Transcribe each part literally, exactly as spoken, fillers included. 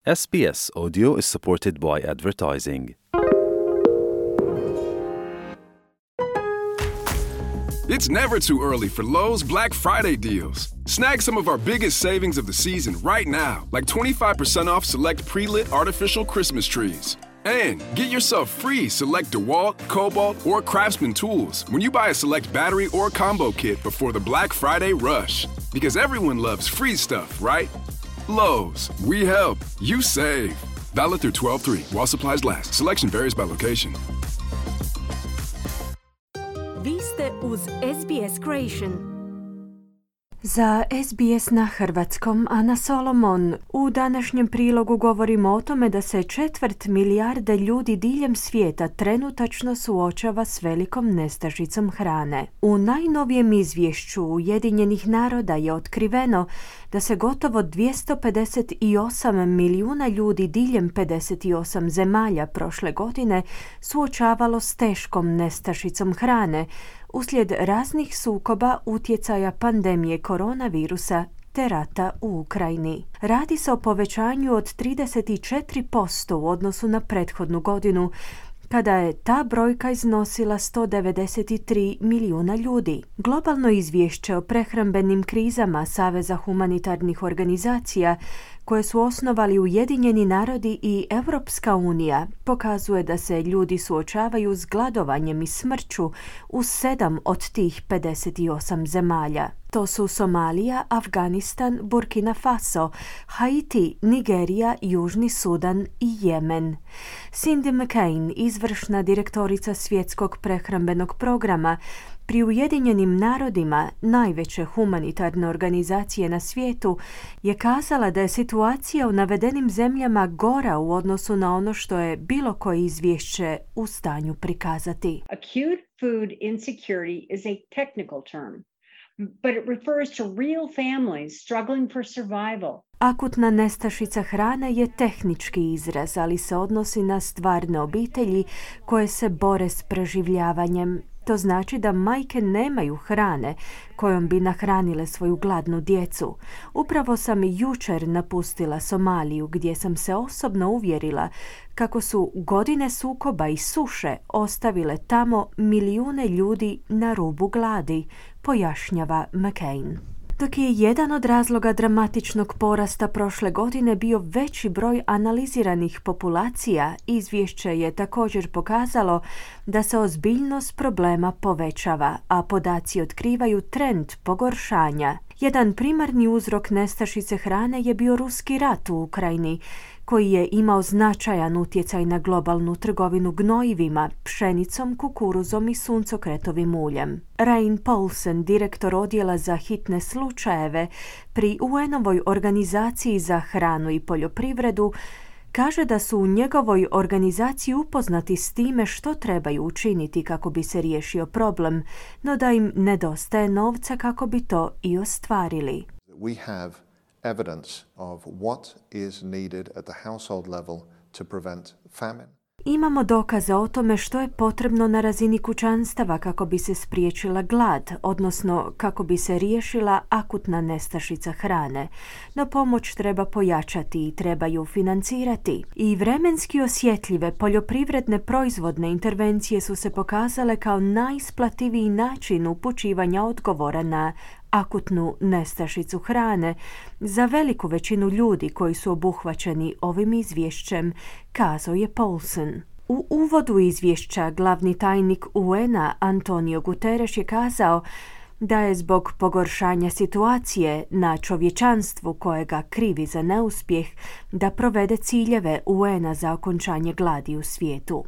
S B S Audio is supported by advertising. It's never too early for Lowe's Black Friday deals. Snag some of our biggest savings of the season right now, like twenty-five percent off select pre-lit artificial Christmas trees. And get yourself free select DeWalt, Cobalt, or Craftsman tools when you buy a select battery or combo kit before the Black Friday rush. Because everyone loves free stuff, right? Lowe's, we help, you save. Valid through twelve three while supplies last. Selection varies by location. Vi ste uz S B S Creation. Za S B S na hrvatskom, Ana Solomon. U današnjem prilogu govorimo o tome da se četvrt milijarde ljudi diljem svijeta trenutačno suočava s velikom nestašicom hrane. U najnovijem izvješću Ujedinjenih naroda je otkriveno da se gotovo dvjesto pedeset osam milijuna ljudi diljem pedeset osam zemalja prošle godine suočavalo s teškom nestašicom hrane uslijed raznih sukoba, utjecaja pandemije koronavirusa te rata u Ukrajini. Radi se o povećanju od trideset četiri posto u odnosu na prethodnu godinu, kada je ta brojka iznosila sto devedeset tri milijuna ljudi. Globalno izvješće o prehrambenim krizama Saveza humanitarnih organizacija, koje su osnovali Ujedinjeni narodi i Europska unija, pokazuje da se ljudi suočavaju s gladovanjem i smrću u sedam od tih pedeset osam zemalja. To su Somalija, Afganistan, Burkina Faso, Haiti, Nigerija, Južni Sudan i Jemen. Cindy McCain, izvršna direktorica Svjetskog prehrambenog programa pri Ujedinjenim narodima, najveće humanitarne organizacije na svijetu, je kazala da je situacija u navedenim zemljama gora u odnosu na ono što je bilo koje izvješće u stanju prikazati. Acute food insecurity is a technical term, but it refers to real families struggling for survival. Akutna nestašica hrane je tehnički izraz, ali se odnosi na stvarne obitelji koje se bore s preživljavanjem. To znači da majke nemaju hrane kojom bi nahranile svoju gladnu djecu. Upravo sam jučer napustila Somaliju, gdje sam se osobno uvjerila kako su godine sukoba i suše ostavile tamo milijune ljudi na rubu gladi, pojašnjava McCain. Dok je jedan od razloga dramatičnog porasta prošle godine bio veći broj analiziranih populacija, izvješće je također pokazalo da se ozbiljnost problema povećava, a podaci otkrivaju trend pogoršanja. Jedan primarni uzrok nestašice hrane je bio ruski rat u Ukrajini, koji je imao značajan utjecaj na globalnu trgovinu gnojivima, pšenicom, kukuruzom i suncokretovim uljem. Rain Paulsen, direktor odjela za hitne slučajeve pri U N-ovoj organizaciji za hranu i poljoprivredu, kaže da su u njegovoj organizaciji upoznati s time što trebaju učiniti kako bi se riješio problem, no da im nedostaje novca kako bi to i ostvarili. We have evidence of what is needed at the household level to prevent famine. Imamo dokaze o tome što je potrebno na razini kućanstava kako bi se spriječila glad, odnosno kako bi se riješila akutna nestašica hrane. No pomoć treba pojačati i treba ju financirati. I vremenski osjetljive poljoprivredne proizvodne intervencije su se pokazale kao najisplativiji način upućivanja odgovora na akutnu nestašicu hrane za veliku većinu ljudi koji su obuhvaćeni ovim izvješćem, kazao je Paulsen. U uvodu izvješća glavni tajnik U N-a Antonio Guterres je kazao da je zbog pogoršanja situacije na čovječanstvu kojega krivi za neuspjeh da provede ciljeve U N-a za okončanje gladi u svijetu.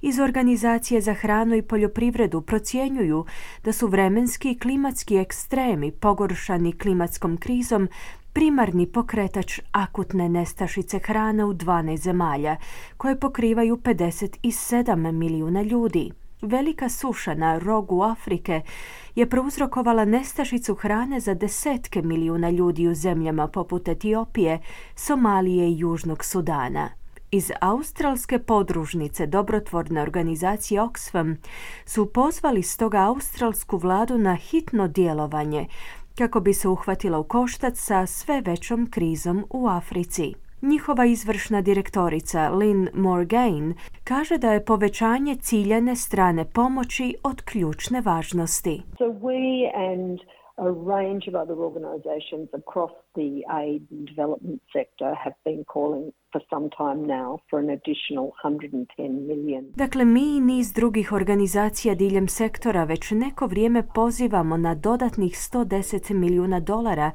Iz Organizacije za hranu i poljoprivredu procjenjuju da su vremenski i klimatski ekstremi pogoršani klimatskom krizom primarni pokretač akutne nestašice hrane u dvanaest zemalja, koje pokrivaju pedeset sedam milijuna ljudi. Velika suša na rogu Afrike je prouzrokovala nestašicu hrane za desetke milijuna ljudi u zemljama poput Etiopije, Somalije i Južnog Sudana. Iz australske podružnice dobrotvorne organizacije Oxfam su pozvali stoga australsku vladu na hitno djelovanje kako bi se uhvatila u koštac sa sve većom krizom u Africi. Njihova izvršna direktorica Lynn Morgain kaže da je povećanje ciljane strane pomoći od ključne važnosti. So we and a range of other organisations across the aid and development sector have been calling for some time now for an additional one hundred ten million. Dakle, mi i niz drugih organizacija diljem sektora već neko vrijeme pozivamo na dodatnih sto deset milijuna dolara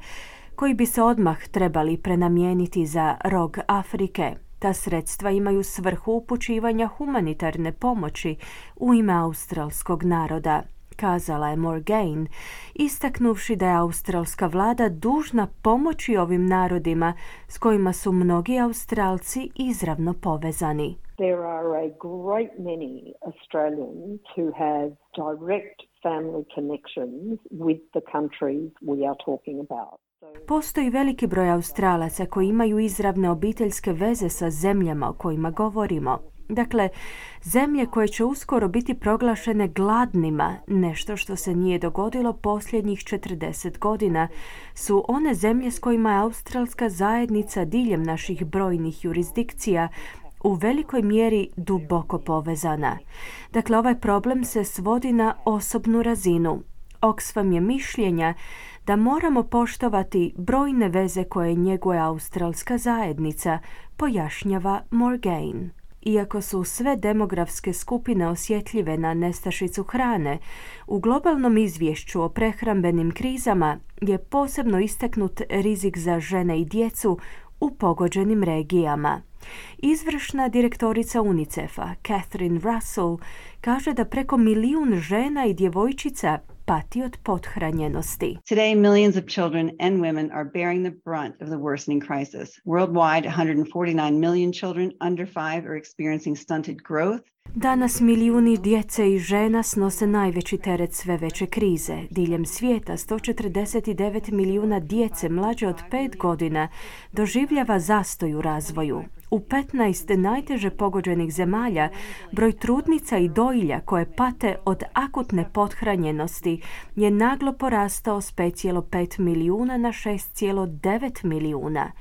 koji bi se odmah trebali prenamijeniti za rog Afrike. Ta sredstva imaju svrhu upućivanja humanitarne pomoći u ime australskog naroda, kazala je Morgain, istaknuvši da je australska vlada dužna pomoći ovim narodima s kojima su mnogi Australci izravno povezani. There are a great many Australians who have direct family connections with the countries we are talking about. Postoji veliki broj Australaca koji imaju izravne obiteljske veze sa zemljama o kojima govorimo. Dakle, zemlje koje će uskoro biti proglašene gladnima, nešto što se nije dogodilo posljednjih četrdeset godina, su one zemlje s kojima je australska zajednica diljem naših brojnih jurisdikcija u velikoj mjeri duboko povezana. Dakle, ovaj problem se svodi na osobnu razinu. Oxfam je mišljenja da moramo poštovati brojne veze koje njeguje australska zajednica, pojašnjava Morgain. Iako su sve demografske skupine osjetljive na nestašicu hrane, u globalnom izvješću o prehrambenim krizama je posebno istaknut rizik za žene i djecu u pogođenim regijama. Izvršna direktorica UNICEF-a, Catherine Russell, kaže da preko milijun žena i djevojčica pati od pothranjenosti. Today, millions of children and women are bearing the brunt of the worsening crisis. Worldwide, one hundred forty-nine million children under five are experiencing stunted growth. Danas milijuni djece i žena snose najveći teret sve veće krize. Diljem svijeta sto četrdeset devet milijuna djece mlađe od pet godina doživljava zastoj u razvoju. U petnaest najteže pogođenih zemalja broj trudnica i dojilja koje pate od akutne pothranjenosti je naglo porastao s pet zarez pet milijuna na šest zarez devet milijuna.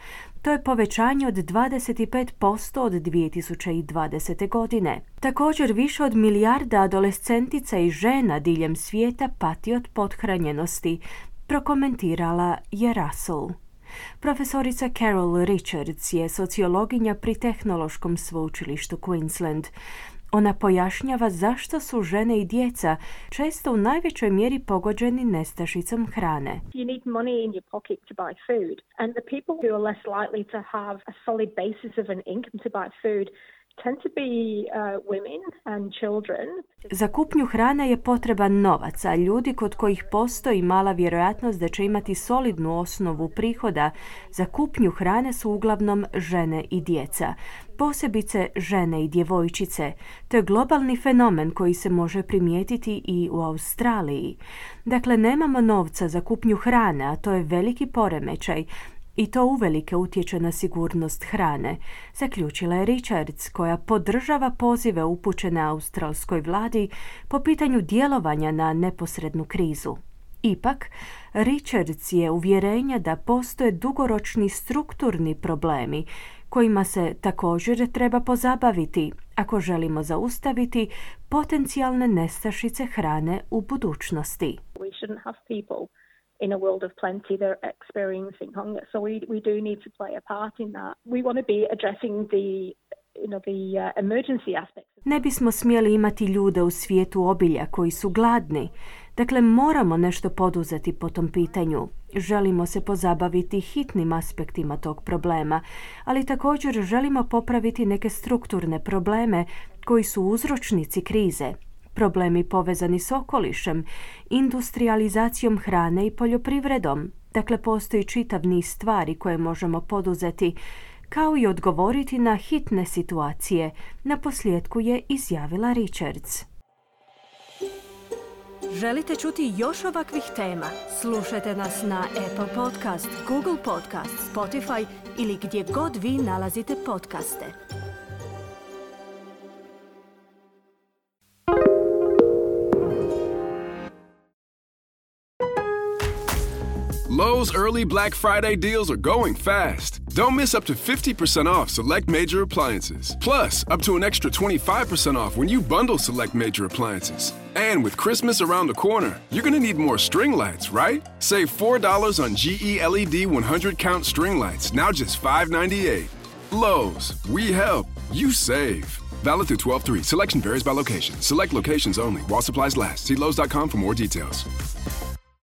To je povećanje od dvadeset pet posto od dvije tisuće dvadesete. godine. Također više od milijarda adolescentica i žena diljem svijeta pati od pothranjenosti, prokomentirala je Russell. Profesorica Carol Richards je sociologinja pri Tehnološkom sveučilištu Queensland. Ona pojašnjava zašto su žene i djeca često u najvećoj mjeri pogođeni nestašicom hrane. You need money in your pocket to buy food, and the people who are less likely to have a solid basis of an income to buy food tend to be uh, women and children. Za kupnju hrane je potreban novac, a ljudi kod kojih postoji mala vjerojatnost da će imati solidnu osnovu prihoda za kupnju hrane su uglavnom žene i djeca. Posebice žene i djevojčice. To je globalni fenomen koji se može primijetiti i u Australiji. Dakle, nemamo novca za kupnju hrane, a to je veliki poremećaj. I to uvelike utječe na sigurnost hrane, zaključila je Richards, koja podržava pozive upućene australskoj vladi po pitanju djelovanja na neposrednu krizu. Ipak, Richards je uvjerenja da postoje dugoročni strukturni problemi kojima se također treba pozabaviti ako želimo zaustaviti potencijalne nestašice hrane u budućnosti. We shouldn't have people in a world of plenty they're experiencing hunger, so we we do need to play a part in that. We want to be addressing the you know the uh, emergency aspects. Ne bismo smjeli imati ljude u svijetu obilja koji su gladni. Dakle, moramo nešto poduzeti po tom pitanju. Želimo se pozabaviti hitnim aspektima tog problema, ali također želimo popraviti neke strukturne probleme koji su uzročnici krize. Problemi povezani s okolišem, industrializacijom hrane i poljoprivredom. Dakle, postoji čitav niz stvari koje možemo poduzeti, kao i odgovoriti na hitne situacije, naposljetku je izjavila Richards. Želite čuti još ovakvih tema? Slušajte nas na Apple Podcast, Google Podcast, Spotify ili gdje god vi nalazite podcaste. Lowe's early Black Friday deals are going fast. Don't miss up to fifty percent off select major appliances. Plus, up to an extra twenty-five percent off when you bundle select major appliances. And with Christmas around the corner, you're gonna need more string lights, right? Save four dollars on G E L E D one hundred count string lights, now just five ninety-eight. Lowe's, we help, you save. Valid through twelve three. Selection varies by location. Select locations only while supplies last. See Lowe's dot com for more details.